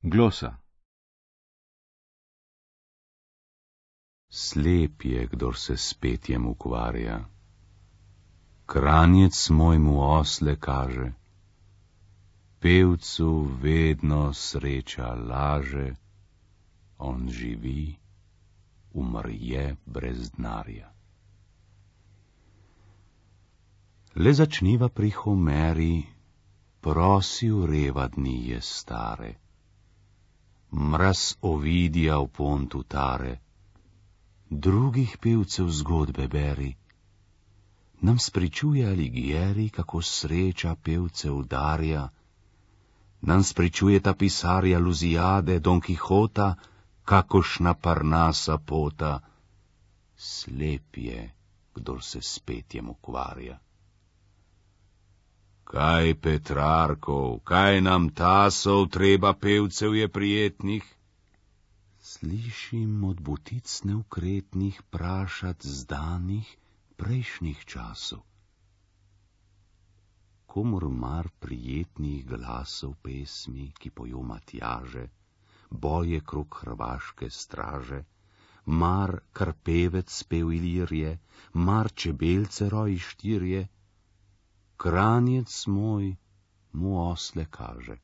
Glosa. Slep je, kdor se s petjem ukvarja. Kranjec moj mu osle kaže. Pevcu vedno sreča laže. On živi, umrje brez denarja. Le začniva pri Homeri, prosi v reva dni je stare. Mraz Ovidija v pontu tare, drugih pevcev zgodbe beri. Nam spričuje Alighieri, kako sreča pevce udarja. Nam spričuje ta pisarja Luziade, Don Kihota, kakošna Parnasa pota. Slep je, kdor se s petjem ukvarja. Kaj Petrarkov, kaj nam tasov, treba pevcev je prijetnih? Slišim od butic neukretnih prašat zdanih prejšnjih časov. Komur mar prijetnih glasov pesmi, ki pojo Matjaže, boje krog hrvaške straže, mar kar pevec pev Ilirije, mar čebelce roji štirje, Kranjec moj mu osle kaže.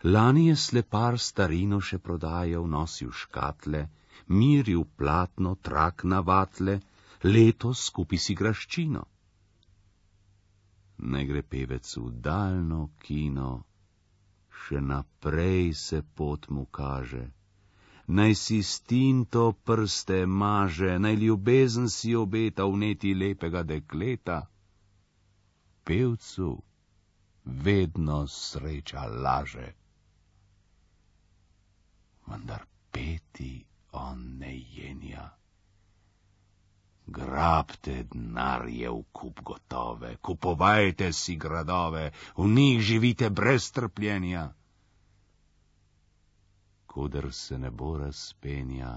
Lani je slepar starino še prodajal, nosil škatle, miril platno, trak na vatle, letos kupi si graščino. Ne gre pevec v daljno kino, še naprej se pot mu kaže. Naj si s tinto prste maže, naj ljubezen si obeta vneti lepega dekleta. Pevcu vedno sreča laže. Vendar peti on ne jenja. Grabte denarje v kup gotove, kupovajte si gradove, v njih živite brez trpljenja. Koder se ne bo razpenja,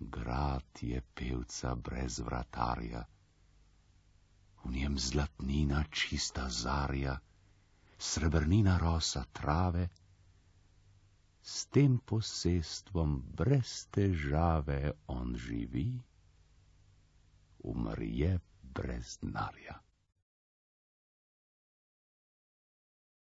grad je pevca brez vratarja. V njem zlatnina čista zarja, srebrnina rosa trave, s tem posestvom brez težave on živi, umrje brez denarja.